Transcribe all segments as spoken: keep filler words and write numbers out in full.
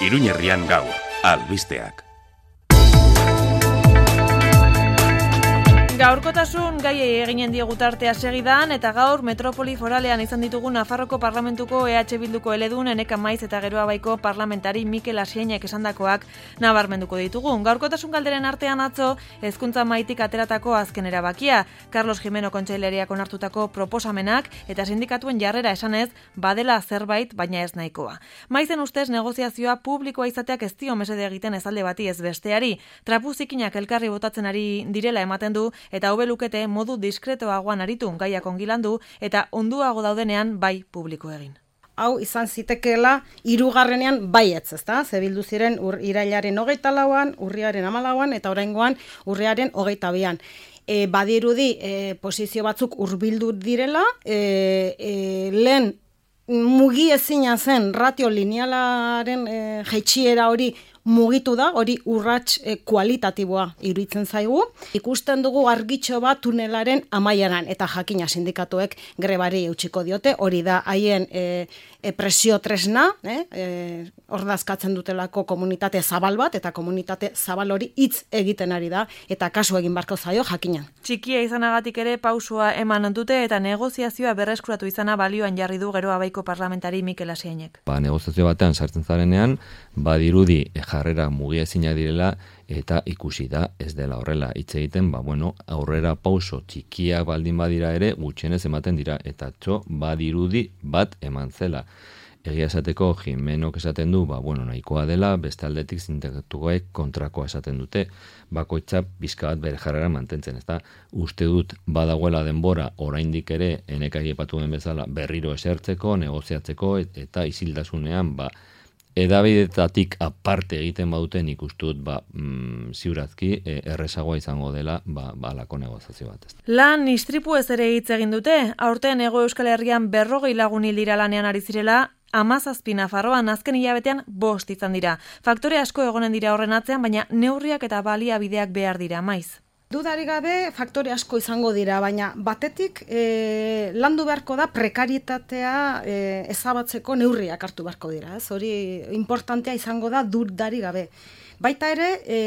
Iruñerrian gaur, albisteak. Gaurkotasun gaiei eginen diegu tartea segidan eta gaur metropoli foralean izan ditugu Nafarroko Parlamentuko E H Bilduko eledun Eneka Maiz eta Geroa Baiko parlamentari Mikel Asiainek esandakoak nabarmenduko ditugu. Gaurkotasun galderen artean atzo hezkuntza maitik ateratako azken erabakia, Carlos Jimeno kontseilariak onartutako proposamenak eta sindikatuen jarrera esanez badela zerbait baina ez nahikoa. Maizen ustez negoziazioa publikoa izateak ez dio mesede egiten ez alde bati ez besteari. Trapuzikinak elkarri botatzen ari direla ematen du eta hobe lukete modu diskretoagoan aritu gaiak ongilandu eta onduago daudenean bai publiko egin. Hau izan zitekeela hirugarrenean baietz, ezta? Ze bildu ziren ur, irailaren hogeita lauan, urriaren hamalauan eta oraingoan urriaren hogeita bian. E, badirudi e, posizio batzuk hurbildu direla, e, e, lehen mugi ezina zen ratio linealaren e, jaitsiera hori mugitu da, hori urrats e, kualitatiboa iruditzen zaigu. Ikusten dugu argitxo bat tunelaren amaieran eta jakina sindikatuek grebari eutxiko diote, hori da haien e, e, presio tresna, eh? e, ordazkatzen dutelako komunitate zabal bat, eta komunitate zabal hori hitz egiten ari da, eta kasu egin barko zaio jakina. Txikia izanagatik ere pausua eman dute eta negoziazioa berreskuratu izana balioan jarri du Geroa Baiko parlamentari Mikel Asiainek. Ba, negoziazio batean sartzen zarenean, badirudi jarrera mugiezina direla eta ikusi da ez dela horrela hitz egiten, ba bueno, aurrera pauso txikiak baldin badira ere gutxienez ematen dira eta txo badirudi bat eman zela. Egia esateko Jimenok esaten du, ba bueno, nahikoa dela, beste aldetik sindikatukoek kontrakoa esaten dute, bakoitza pixka bat bere jarrera mantentzen, ezta? Uste dut badagoela denbora oraindik ere Eneka aipatu den bezala berriro esertzeko, negoziatzeko eta isildasunean ba edabidetatik aparte egiten baduten ikustut ba, mm, ziurazki e, errezagoa izango dela ba, ba alako negoziazio bat. Ez. Lan istripu ez ere hitz egin dute, aurten Hego Euskal Herrian berrogei lagun hil dira lanean ari zirela, hamazazpi Nafarroan azken hilabetean bost izan dira. Faktore asko egonen dira horren atzean, baina neurriak eta baliabideak behar dira, Maiz. Dudari gabe faktore asko izango dira, baina batetik e, landu beharko da prekarietatea e, ezabatzeko neurriak hartu beharko dira. Ez? Hori importantea izango da dudari gabe. Baita ere, e,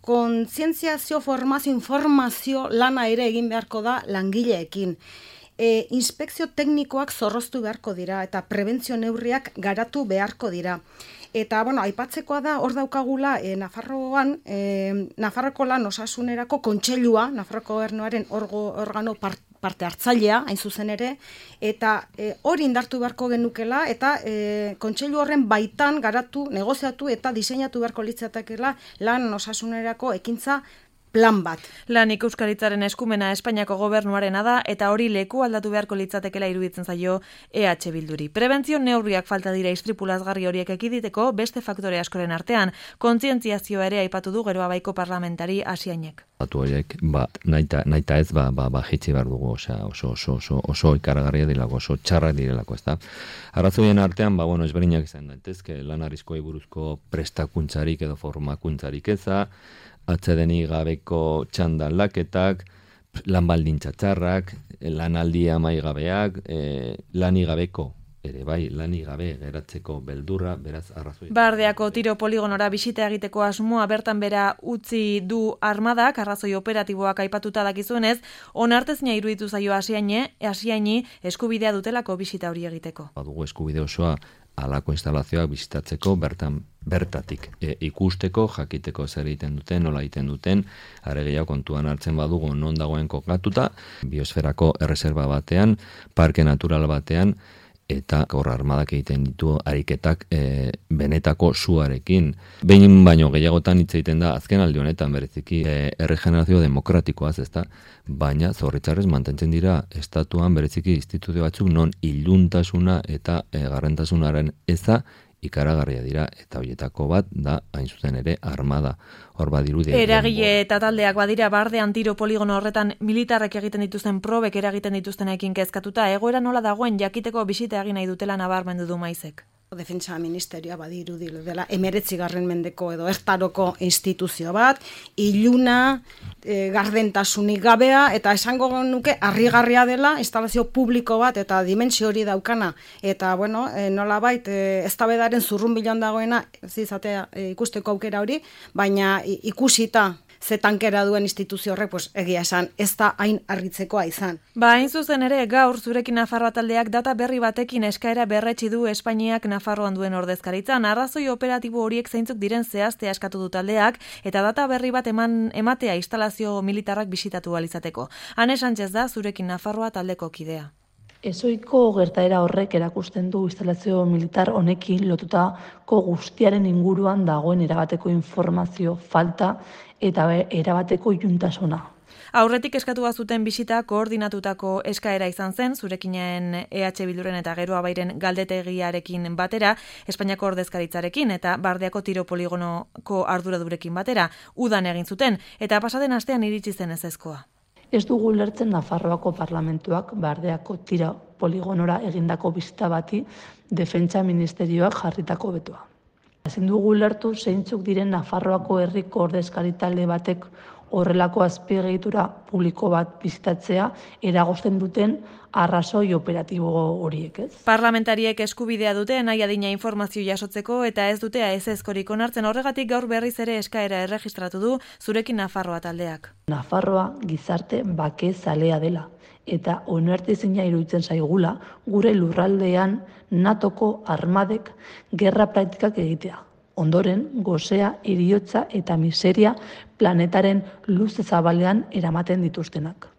kontzientziazio, formazio, informazio lana ere egin beharko da langileekin. E, inspekzio teknikoak zorroztu beharko dira eta prebentzio neurriak garatu beharko dira. Eta, bueno, aipatzekoa da, hor daukagula, e, Nafarroan, e, Nafarroko lan osasunerako kontseilua, Nafarroko gobernuaren orgo, organo part, parte hartzailea, hain zuzen ere, eta e, hori indartu beharko genukela, eta e, kontseilu horren baitan garatu, negoziatu eta diseinatu beharko litzatekeela lan osasunerako ekintza plan bat. Lan ikuskaritzaren eskumena Espainiako gobernuarena da eta hori leku aldatu beharko litzatekela iruditzen zaio E H Bilduri. Prebentzio neurriak falta dira istripu lazgarri horiek ekiditeko beste faktore askoren artean, kontzientziazioa ere aipatu du Geroa Baiko parlamentari Asiainek. Datu horiek ba naita naita ez ba ba ba jitsi behar dugu, osea, oso oso oso oso ikaragarria direlako, oso txarrak direlako, ezta. Arrazoien artean ba bueno, ezberdinak izan daitezke, lan arriskoei buruzko prestakuntzarik edo formakuntzarik eza, atsedeni gabeko txandan laketak, lan baldintza txarrak, lanaldi amaigabeak, e, lani gabeko, ere bai, lani gabe geratzeko beldurra, beraz arrazoi. Bardeako tiro poligonora bisita egiteko asmoa bertan bera utzi du armadak, arrazoi operatiboak aipatuta dakizuenez, onartezina iruditu zaio Asiaine, Asiaini eskubidea dutelako bisita hori egiteko. Badugu eskubide osoa alako instalazioak bisitatzeko, bertan bertatik e, ikusteko, jakiteko zer egiten duten, nola egiten duten, are gehiago kontuan hartzen badugu non dagoen kokatuta, biosferako erreserba batean, parke natural batean, eta gaur armadak egiten ditu ariketak e, benetako suarekin. Behin baino gehiagotan hitz egiten da azken aldi honetan bereziki e, erregenerazio demokratikoaz, ezta? Baina zorritzarrez mantentzen dira estatuan bereziki instituzio batzuk non iluntasuna eta e, garrentasunaren eza ikaragarria dira eta horietako bat da hain zuzen ere armada. Hor badirudi. Eragile eta taldeak badira bardean tiro poligono horretan militarrek egiten dituzten probek eragiten dituztenekin kezkatuta egoera nola dagoen jakiteko bisita egin nahi dutela nabarmendu du Maizek. Defentsa ministerioa badirudi dela emeretzigarren mendeko edo ertaroko instituzio bat, iluna, e, gardentasunik gabea, eta esango nuke harrigarria dela instalazio publiko bat eta dimentsio hori daukana. Eta, bueno, e, nolabait, e, eztabaidaren zurrunbilan dagoena, ez izatea e, ikusteko aukera hori, baina ikusita ze tankera duen instituzio horrek, pues, egia esan, ez da hain harritzekoa izan. Ba, hain zuzen ere, gaur zurekin Nafarroa taldeak data berri batekin eskaera berretsi du Espainiak Nafarroan duen ordezkaritzan. Arrazoi operatibo horiek zeintzuk diren zehaztea eskatu du taldeak, eta data berri bat eman ematea instalazio militarrak bisitatu ahal izateko. Ane Sánchez da zurekin Nafarroa taldeko kidea. Ezoiko gertaera horrek erakusten du instalazio militar honekin lotutako guztiaren inguruan dagoen erabateko informazio falta eta erabateko iluntasuna. Aurretik eskatu bazuten bisita koordinatutako eskaera izan zen, zurekinen E H Bilduren eta Geroa Bairen galdetegiarekin batera, Espainiako ordezkaritzarekin eta Bardeako tiro poligonoko arduradurekin batera, udan egin zuten, eta pasaden astean iritsi zen ezezkoa. Ez dugu lertzen Nafarroako parlamentuak Bardeako tiro poligonora egindako bisita bati defentsa ministerioak jarritako betoa. Ezin dugu lertu zeintzuk diren Nafarroako herriko ordezkaritalde batek horrelako azpiegitura publiko bat bizitatzea eragozten duten arrazoi operatibo horiek, ez? Parlamentariek eskubidea dute nahi adina informazio jasotzeko eta ez dutea ezezkorik onartzen, horregatik gaur berriz ere eskaera erregistratu du zurekin Nafarroa taldeak. Nafarroa gizarte bake zalea dela eta onartezina iruditzen zaigula gure lurraldean natoko armadek gerra praktikak egitea. Ondoren, gozea, heriotza eta miseria planetaren luze zabalean eramaten dituztenak.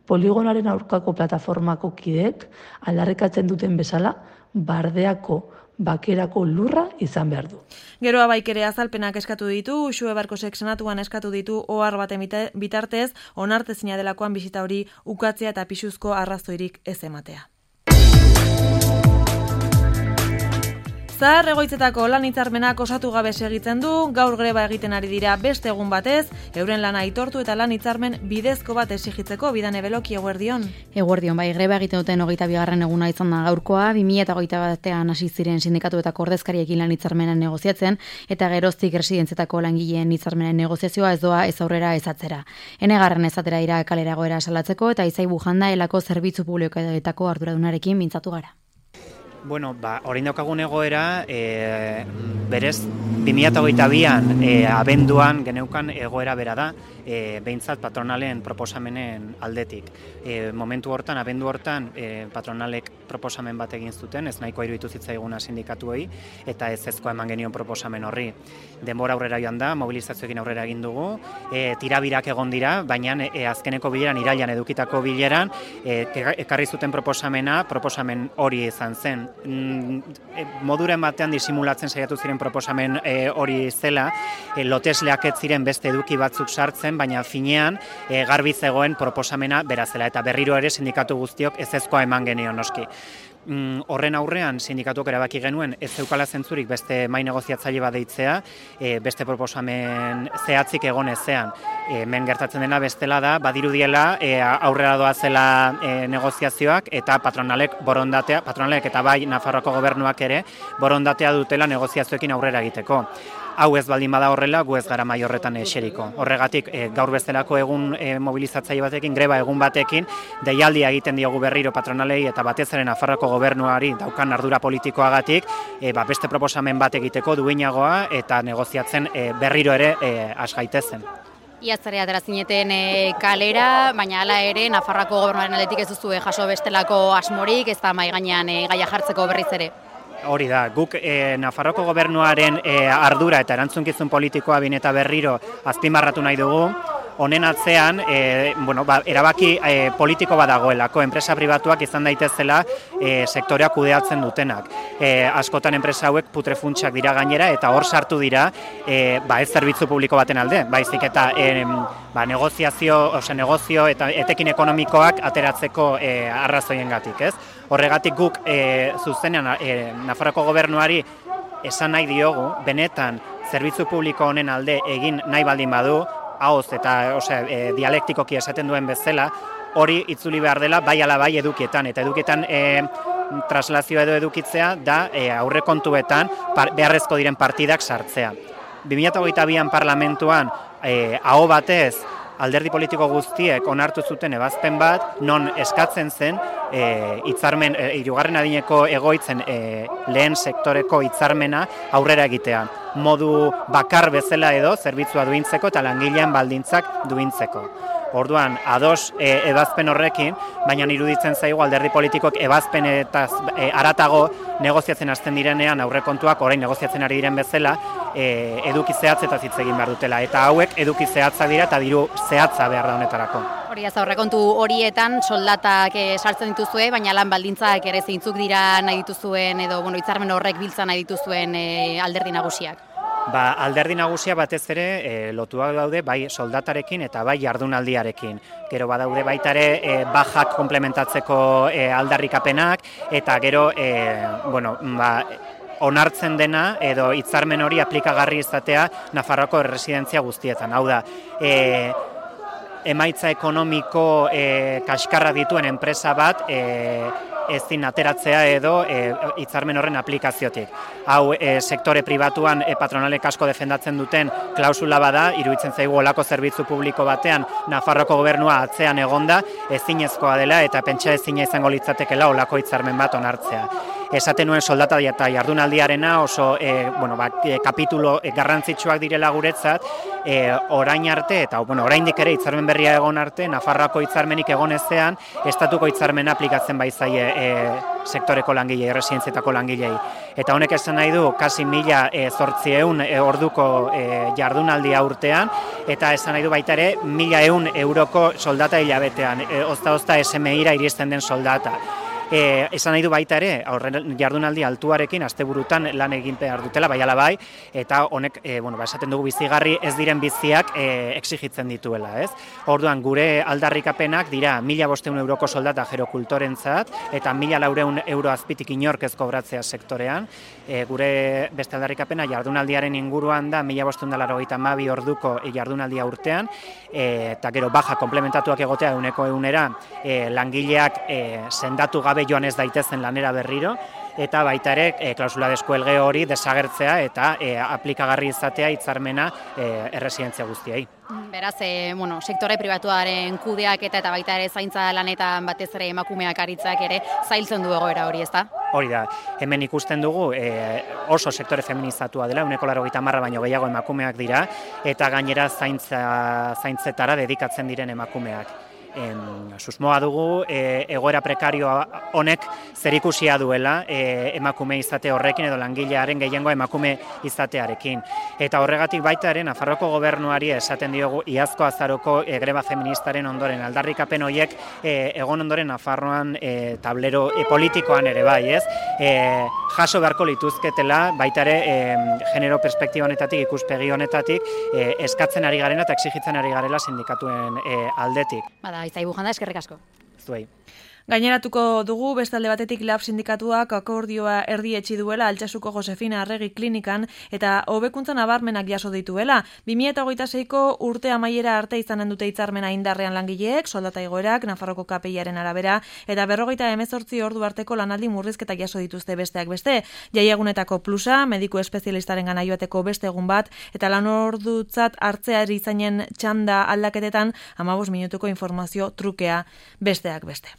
Poligonaren aurkako plataformako kideek aldarrikatzen duten bezala Bardeako bakerako lurra izan behar du. Geroa Baik ere azalpenak eskatu ditu, Uxue Barkosek senatuan eskatu ditu ohar baten bitartez, onartezina delakoan bisita hori ukatzea eta pisuzko arrazoirik ez ematea. Zahar egoitzetako lan hitzarmenak osatu gabe segitzen du, gaur greba egiten ari dira beste egun batez, euren lana aitortu eta lan hitzarmen bidezko bat exigitzeko. Bidane Beloki, eguerdion. Eguerdion, bai, greba egiten duten hogeita bigarren eguna izan da gaurkoa, bi mila hogeita batean hasi ziren sindikatuetako ordezkariekin lan hitzarmenen negoziatzen, eta geroztik residentzietako langileen hitzarmenen negoziazioa ez doa ez aurrera ez atzera. Enegarren ez atera dira kalera egoera salatzeko, eta Izai Bujanda elako zerbitzu publikoetako arduradunarekin mintzatu gara. Bueno, ba, orain daukagun egoera, e, berez, bi mila hogeita bian e, abenduan geneukan egoera bera da, e, behintzat patronalen proposamenen aldetik. E, momentu hortan, abendu hortan, e, patronalek proposamen bat egin zuten, ez nahikoa iruditu zitzaiguna sindikatuei, eta ez ezkoa eman genion proposamen horri. Denbora aurrera joan da, mobilizazioekin aurrera egin dugu, e, tirabirak egon dira, baina e, azkeneko bileran, irailan edukitako bileran, e, ekarri zuten proposamena, proposamen hori izan zen. Moduren batean disimulatzen saiatu ziren proposamen e, hori zela, e, lotesleak ez ziren beste eduki batzuk sartzen, baina finean e, garbi zegoen proposamena berazela, eta berriro ere sindikatu guztiok ezezkoa eman genion noski. Mm, horren aurrean sindikatuak erabaki genuen ez zeukala zentzurik beste mai negoziatzaile bat deitzea, e, beste proposamen zehatzik egon ezean. E, hemen gertatzen dena bestela da, badirudiela e, aurrera doazela e, negoziazioak eta patronalek borondatea, patronalek eta bai Nafarroako gobernuak ere borondatea dutela negoziazioekin aurrera egiteko. Hau ez baldin bada horrela, gu ez gara mai horretan eseriko. Horregatik, e, gaur bestelako egun e, mobilizatzaile batekin, greba egun batekin, deialdia egiten diogu berriro patronalei eta batez ere Nafarroako gobernuari daukan ardura politikoagatik, e, ba, beste proposamen bat egiteko duinagoa eta negoziatzen e, berriro ere e, has gaitezen. Iazare atera zineten e, kalera, baina hala ere Nafarroako gobernuaren aldetik ez duzu jaso bestelako asmorik, ez da mai gainean e, gaia jartzeko berriz ere. Hori da, guk e, Nafarroako gobernuaren e, ardura eta erantzunkizun politikoa bin eta berriro azpimarratu nahi dugu. Honen atzean, e, bueno, ba, erabaki e, politiko bat dagoelako, enpresa pribatuak izan daitezela e, sektorea kudeatzen dutenak. E, askotan enpresa hauek putrefuntsak dira gainera eta hor sartu dira e, ba, ez zerbitzu publiko baten alde, baizik eta e, ba, negoziazio, ose, negozio eta etekin ekonomikoak ateratzeko e, arrazoiengatik, ez? Horregatik guk e, zuzenean e, Nafarroako gobernuari esan nahi diogu, benetan zerbitzu publiko honen alde egin nahi baldin badu, haoz eta ose, e, dialektikoki esaten duen bezala, hori itzuli behar dela bai ala bai edukietan. Eta edukietan e, traslazioa edo edukitzea da e, aurrekontuetan par, beharrezko diren partidak sartzea. bi mila hogeita bian parlamentuan e, aho batez alderdi politiko guztiek onartu zuten ebazpen bat, non eskatzen zen e, hitzarmen, e, hirugarren adineko egoitzen e, lehen sektoreko hitzarmena aurrera egitea. Modu bakar bezala edo zerbitzua duintzeko eta langilean baldintzak duintzeko. Orduan, ados e, ebazpen horrekin, baina iruditzen zaigu alderdi politikok ebazpen eta e, aratago negoziatzen hasten direnean aurrekontuak orain negoziatzen ari diren bezala e, eduki zehatz eta hitz egin behar dutela. Eta hauek eduki zehatza dira eta diru zehatza behar da honetarako. Hori ez aurrekontu horietan soldatak e, sartzen dituzue, baina lan baldintzak ere zeintzuk dira nahi dituzuen edo bueno, hitzarmen horrek biltza nahi dituzuen e, alderdi nagusiak. Ba, alderdi nagusia batez ere e, lotuak daude bai soldatarekin eta bai jardunaldiarekin. Gero badaude baita ere e, bajak komplementatzeko e, aldarrikapenak eta gero e, bueno, ba, onartzen dena edo hitzarmen hori aplikagarri izatea Nafarroako erresidentzia guztietan. Hau da, e, emaitza ekonomiko e, kaskarra dituen enpresa bat e, ezin ateratzea edo hitzarmen e, horren aplikaziotik. Hau e, sektore pribatuan e, patronalek asko defendatzen duten klausula bada, iruditzen zaigu olako zerbitzu publiko batean Nafarroko gobernua atzean egonda, ezinezkoa dela eta pentsa ezina izango litzatekela olako hitzarmen bat onartzea. Esaten nuen soldata eta jardunaldiarena oso e, bueno, ba, e, kapitulo e, garrantzitsuak direla guretzat, e, orain arte eta bueno, oraindik ere hitzarmen berria egon arte, Nafarroako hitzarmenik egon ezean, estatuko hitzarmena aplikatzen baizaie e, sektoreko langilei, erresidentzietako langilei. Eta honek esan nahi du, kasi mila e, zortziehun e, orduko e, jardunaldia urtean, eta esan nahi du baita ere, mila ehun euroko soldata hilabetean, e, ozta-ozta S M I-ra iristen den soldata. E, esan nahi du baita ere, aurren jardunaldi altuarekin asteburutan lan egin behar dutela, bai ala bai, eta honek, e, bueno, ba, esaten dugu bizigarri ez diren biziak e, exigitzen dituela, ez? Orduan, gure aldarrikapenak dira mila bosteun euroko soldata gerokultorentzat, eta mila laureun euro azpitik inork ez kobratzea sektorean. E, gure beste aldarrikapena jardunaldiaren inguruan da, mila bosteun da laurogeita hamabi orduko jardunaldia urtean, e, eta gero baja komplementatuak egotea euneko eunera, e, langileak e, sendatu gabe joan ez daitezen lanera berriro, eta baita ere e, klausula deskuelge hori desagertzea eta e, aplikagarri izatea hitzarmena e, erresidentzia guztiei. Beraz, e, bueno, sektore pribatuaren kudeaketa eta baita ere zaintza lanetan batez ere emakumeak aritzak ere zailtzen du egoera hori, ezta? Hori da, hemen ikusten dugu e, oso sektore feminizatua dela, uneko laurogeita hamar baino gehiago emakumeak dira, eta gainera zaintza, zaintzetara dedikatzen diren emakumeak. En, susmoa dugu e, egoera prekario honek zerikusia duela e, emakume izate horrekin edo langilearen gehiengoa emakume izatearekin. Eta horregatik baita ere Nafarroko gobernuari esaten diogu iazko azaroko e, greba feministaren ondoren aldarrikapen horiek e, egon ondoren Nafarroan e, tablero e, politikoan ere bai, ez? E, jaso beharko lituzketela baita ere e, genero perspektiba honetatik, ikuspegi honetatik e, eskatzen ari garena eta exigitzen ari garela sindikatuen e, aldetik. Bada, Izaibu janda, eskerrik asko. Zuei. Gaineratuko dugu, bestalde batetik Lab sindikatuak akordioa erdietsi duela Altsasuko Josefina Arregi klinikan eta hobekuntza nabarmenak jaso dituela. bi mila hogeita seiko urte amaiera arte izanen dute hitzarmena indarrean langileek, soldata igoerak, Nafarroko K P I-aren arabera, eta berrogeita hemezortzi ordu arteko lanaldi murrizketa jaso dituzte besteak beste. Jaiegunetako plusa, mediku espezialistaren gana joateko beste egun bat, eta lan ordutzat hartzea erizainen txanda aldaketetan hamabost minutuko informazio trukea besteak beste.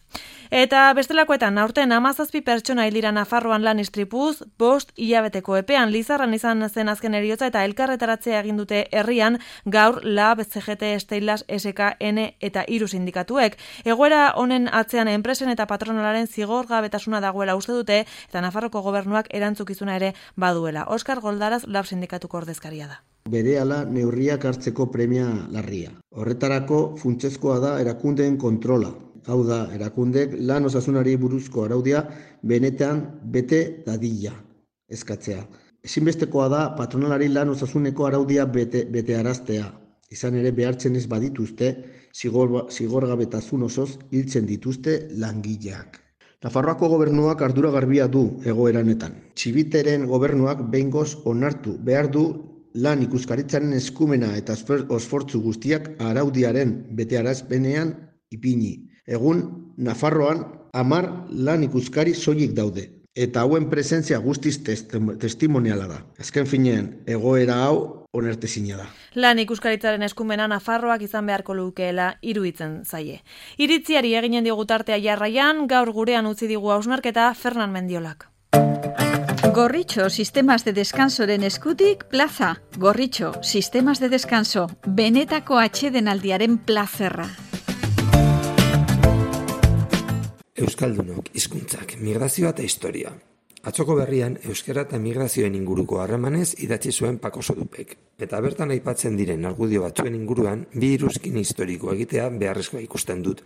Eta bestelakoetan, aurten hamazazpi pertsona hil dira Nafarroan lan istripuz, bost hilabeteko epean Lizarran izan zen azken heriotza eta elkarretaratzea egin dute herrian gaur Lab, C G T, Steilas, S K N eta hiru sindikatuek. Egoera honen atzean enpresen eta patronalaren zigorgabetasuna dagoela uste dute eta Nafarroko gobernuak erantzukizuna ere baduela. Oskar Goldaraz Lab sindikatuko ordezkaria da. Berehala neurriak hartzeko premia larria. Horretarako funtsezkoa da erakundeen kontrola. Hau da, erakundek lan osasunari buruzko araudia benetan bete dadila eskatzea. Ezinbestekoa da patronalari lan osasuneko araudia bete, bete araztea. Izan ere behartzen ez badituzte, zigor, zigorgabetasun osoz hiltzen dituzte langileak. Nafarroako gobernuak ardura garbia du egoeranetan. Txibiteren gobernuak behingoz onartu behar du lan ikuskaritzaren eskumena eta osfortzu guztiak araudiaren betearazpenean ipini. Egun, Nafarroan hamar lan ikuskari soilik daude. Eta hauen presentzia guztiz testimoniala da. Azken finean, egoera hau onartezina da. Lan ikuskaritzaren eskumena Nafarroak izan beharko lukeela iruditzen zaie. Iritziari eginen digu tartea jarraian, gaur gurean utzi digu hausnarketa Fernan Mendiolak. Gorritxo, sistemas de descansoren eskutik, plaza. Gorritxo, sistemas de descanso, benetako atsedenaldiaren plazerra. Euskaldunok, hizkuntzak, migrazioa eta historia. Atzoko berrian, euskara eta migrazioen inguruko harremanez idatzi zuen Pako Sodupek. Eta bertan aipatzen diren argudio batzuen inguruan, bi iruzkin historiko egitea beharrezkoa ikusten dut.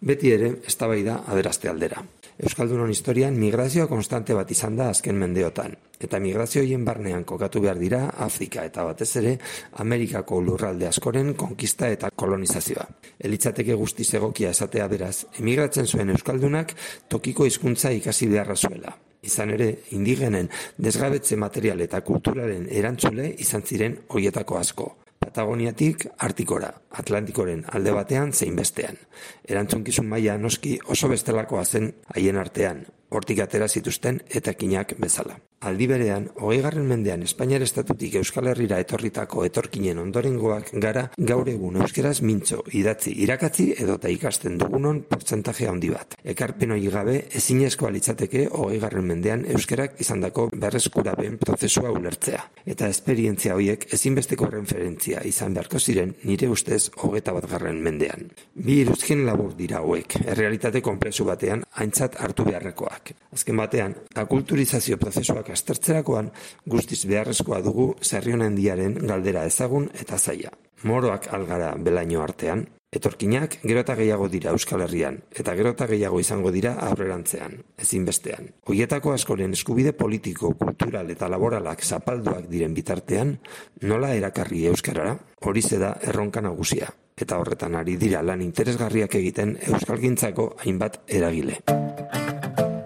Beti ere, eztabaida aberaste aldera. Euskaldunon historian migrazioa konstante bat izan da azken mendeotan. Eta migrazioien barnean kokatu behar dira Afrika eta batez ere Amerikako lurralde askoren konkista eta kolonizazioa. Elitzateke guztiz egokia esatea beraz, emigratzen zuen euskaldunak tokiko hizkuntza ikasi beharra zuela. Izan ere, indigenen desgabetze material eta kulturaren erantzule izan ziren hoietako asko. Patagoniatik Artikora, Atlantikoren alde batean zein bestean. Erantzunkizun maila noski oso bestelakoa zen haien artean, hortik atera zituzten etakinak bezala. Aldi berean, hogeigarren mendean Espainiar estatutik Euskal Herrira etorritako etorkinen ondorengoak gara gaur egun euskeraz mintzo, idatzi, irakatzi edota ikasten dugunon portzentaje handi bat. Ekarpen hori gabe ezinezkoa litzateke hogeigarren mendean euskerak izandako berreskurapen prozesua ulertzea. Eta esperientzia horiek ezinbesteko referentzia izan beharko ziren nire ustez hogeita batgarren mendean. Bi iruzkin labur dira hauek, errealitate konplexu batean aintzat hartu beharrekoak. Azken batean, akulturizazio prozesuak aztertzerakoan guztiz beharrezkoa dugu Sarrionandiaren galdera ezagun eta zaila. Moroak algara belaino artean, etorkinak gero eta gehiago dira Euskal Herrian, eta gero eta gehiago izango dira aurrerantzean, ezinbestean. Hoietako askoren eskubide politiko, kultural eta laboralak zapalduak diren bitartean, nola erakarri euskarara, horize da erronka nagusia. Eta horretan ari dira lan interesgarriak egiten euskalgintzako hainbat eragile.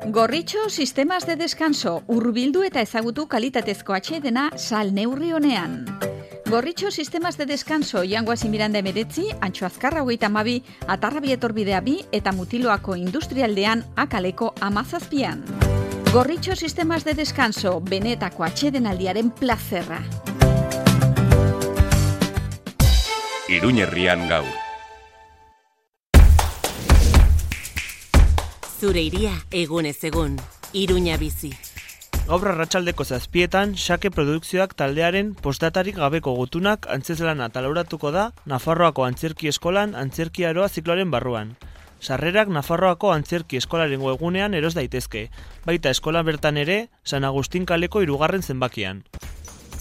Gorritxo, sistemas de descanso, hurbildu eta ezagutu kalitatezko atsedena sal neurri honean. Gorritxo, sistemas de descanso, Jangoazi Miranda emeretzi, Antxo Azkarra hogeita hamabi, Atarrabi etorbidea bi eta Mutiloako industrialdean akaleko amazazpian. Gorritxo, sistemas de descanso, benetako atsedenaldiaren plazerra. Iruñerrian gaur. Zure iria egunez egun, Iruña bizi. Gaur arratsaldeko zazpietan, Xake Produkzioak taldearen postdatarik gabeko gutunak antzezlana talauratuko da Nafarroako Antzerki Eskolan Antzerki Aroa zikloaren barruan. Sarrerak Nafarroako Antzerki Eskolaren webgunean eros daitezke, baita eskola bertan ere San Agustin kaleko hirugarren zenbakian.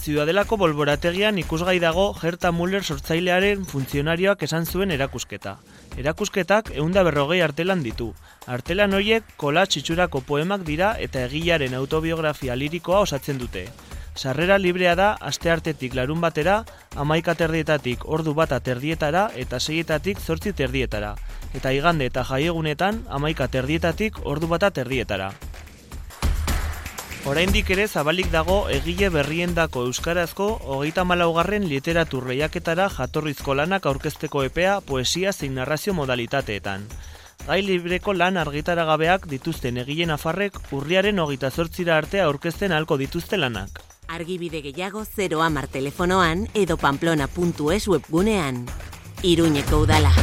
Ziudadelako bolborategian ikusgai dago Gerta Müller sortzailearen funtzionarioak esan zuen erakusketa. Erakusketak ehunda berrogei artelan ditu. Artelan horiek kolatx itxurako poemak dira eta egilearen autobiografia lirikoa osatzen dute. Sarrera librea da asteartetik larun batera, hamaika terdietatik ordu bata terdietara eta seietatik zortzi terdietara. Eta igande eta jaiegunetan hamaika terdietatik ordu bata terdietara. Oraindik ere zabalik dago egile berriendako euskarazko hogeita hamalaugarren literatur lehiaketara jatorrizko lanak aurkezteko epea poesia zein narrazio modalitateetan. Gai libreko lan argitaragabeak dituzten egile nafarrek urriaren hogeita zortzira arte aurkezten ahalko dituzte lanak. Argibide gehiago zero hamar telefonoan edo pamplona puntu es webgunean. Iruñeko udala.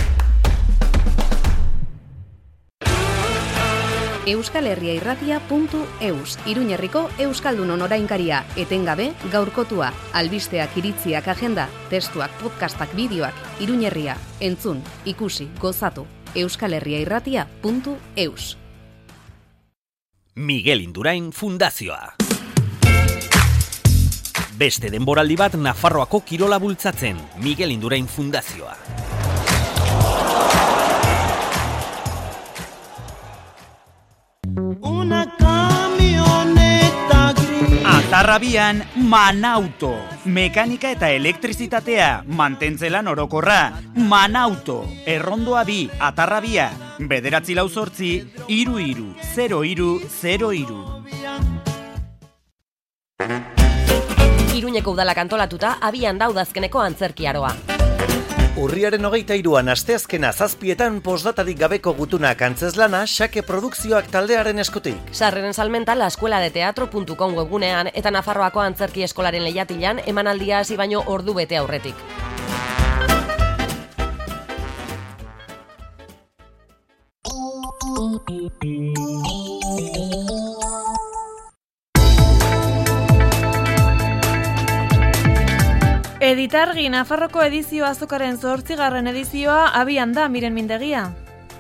Euskal Herria irratia puntu eus, Iruñerriko Euskaldunon orainkaria, etengabe gaurkotua, albisteak, iritziak, agenda, testuak, podcastak, bideoak, Iruñerria, entzun, ikusi, gozatu, Euskal Herria irratia puntu eus. Miguel Indurain Fundazioa. Beste denboraldi bat Nafarroako kirola bultzatzen, Miguel Indurain Fundazioa. Una camioneta gris. Atarrabian Manauto. Mekanika eta elektrizitatea, mantentzelan orokorra. Manauto. Errondoa bi, Atarrabia. Bederatzi lau zortzi, iru iru, zero iru, zero iru. Iruñeko udalak antolatuta abian daudazkeneko antzerki aroa. Urriaren hogeita hiruan asteazkena zazpietan postdatarik gabeko gutunak antzezlana Xake Produkzioak taldearen eskutik. Sarreren salmenta la escuela de teatro puntu com webgunean eta Nafarroako Antzerki Eskolaren lehiatilan emanaldia hasi baino ordu bete aurretik. Editargi Nafarroko edizio azokaren zortzigarren edizioa abian da, Miren Mindegia.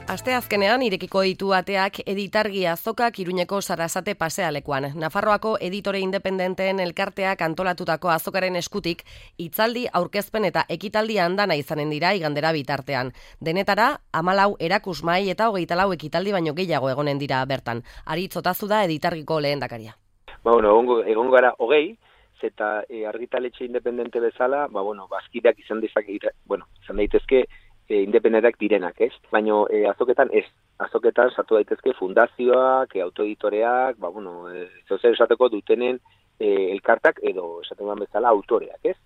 Asteazkenean irekiko ditu ateak Editargi azokak Iruñeko Sarasate pasealekuan. Nafarroako editore independenteen elkarteak antolatutako azokaren eskutik hitzaldi, aurkezpen eta ekitaldi andana izanen dira igandera bitartean. Denetara, hamalau erakusmai eta hogeita lau ekitaldi baino gehiago egonen dira bertan. Aritz Otazu da Editargiko lehendakaria. Ba, bueno, egongo, egongo gara hogei, eta e, argitaletxe independente bezala, ba, bueno, bazkideak izan dezake, bueno, izan daitezke e, independenteak direnak, ez? Baina e, azoketan ez, azoketan sartu daitezke fundazioak, e, autoeditoreak, ba, bueno, e, zozer esateko dutenen e, elkartak edo esaten bezala autoreak, ez?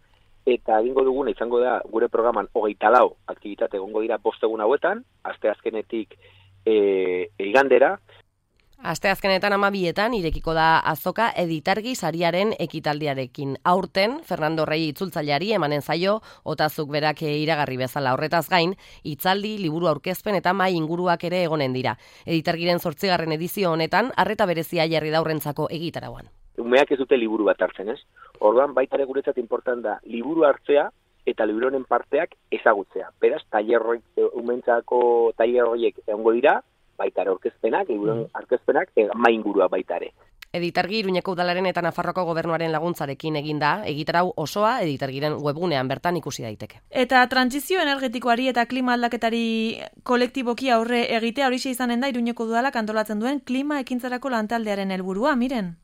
Eta egingo duguna izango da gure programan hogeita lau aktibitate egongo dira bost egun hauetan, asteazkenetik e, igandera. Asteazkenetan amabietan irekiko da azoka Editargi sariaren ekitaldiarekin. Aurten, Fernando Rey itzultzaileari emanen zaio, Otazuk berak iragarri bezala horretaz gain, hitzaldi, liburu aurkezpen eta mai inguruak ere egonen dira. Editargiren zortzigarren edizio honetan, arreta berezia jarri daurrentzako egitarauan. Umeak ez dute liburu bat hartzen, ez? Orduan, baita ere guretzat important da, liburu hartzea eta liburuaren parteak ezagutzea. Beraz, tailerroik, umentzako tailerroiek egongo dira, baita ere aurkezpenak, liburuen aurkezpenak, mai ingurua baita ere. Editargi Iruñeko Udalaren eta Nafarroako Gobernuaren laguntzarekin eginda, egitarau osoa Editargiren webgunean bertan ikusi daiteke. Eta trantsizio energetikoari eta klima aldaketari kolektiboki aurre egitea horixe izanen da Iruñeko Udalak antolatzen duen klima ekintzarako lantaldearen helburua, Miren.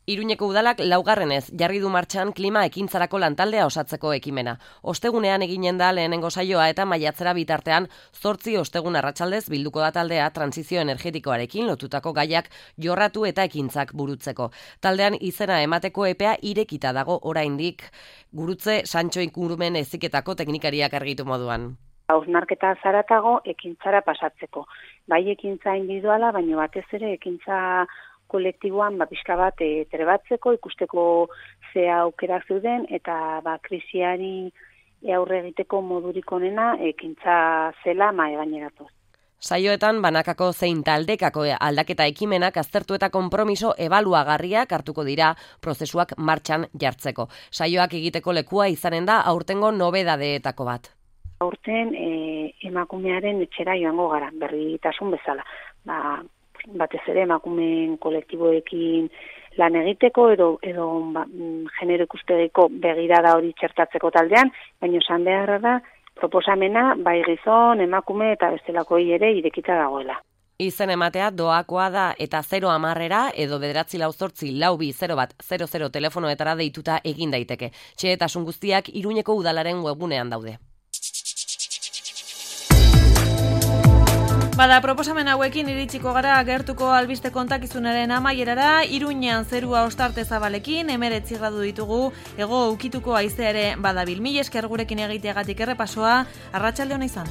Iruñeko Udalak laugarrenez jarri du martxan klima ekintzarako lantaldea osatzeko ekimena. Ostegunean eginen da lehenengo saioa eta maiatzera bitartean zortzi ostegun arratsaldez bilduko da taldea trantsizio energetikoarekin lotutako gaiak jorratu eta ekintzak burutzeko. Taldean izena emateko epea irekita dago oraindik gurutze Santxo ingurumen heziketako teknikariak argitu moduan. Hausnarketa zaratago ekintzara pasatzeko. Bai ekintza individuala, baina batez ere ekintza kolektiboan ba, pixka bat e, trebatzeko, ikusteko ze aukerak zeuden, eta ba, krisiari aurre egiteko modurik onena ekintza zela mae gaineratuz. Saioetan banakako zein taldekako aldaketa ekimenak aztertu eta konpromiso ebaluagarriak hartuko dira prozesuak martxan jartzeko. Saioak egiteko lekua izanen da aurtengo nobedadeetako bat. Aurten e, emakumearen etxera joango gara, berritasun bezala. Ba, batez ere emakumeen kolektiboekin lan egiteko edo edo ba, genero ikustegiko begirada hori txertatzeko taldean, baina esan beharra da proposamena bai gizon, emakume eta bestelakoi ere irekita dagoela. Izen ematea doakoa da eta zero hamarrera edo bederatzi lau zortzi lau bi zero bat zero zero telefonoetara deituta egin daiteke. Txehetasun guztiak Iruñeko Udalaren webgunean daude. Bada, proposamen hauekin iritsiko gara gertuko albiste kontakizunaren amaierara, Iruñean zerua ostarte zabalekin, hemeretzi gradu ditugu, hego ukituko haizea ere badabil. Mila esker gurekin egiteagatik errepasoa, arratsalde ona izan.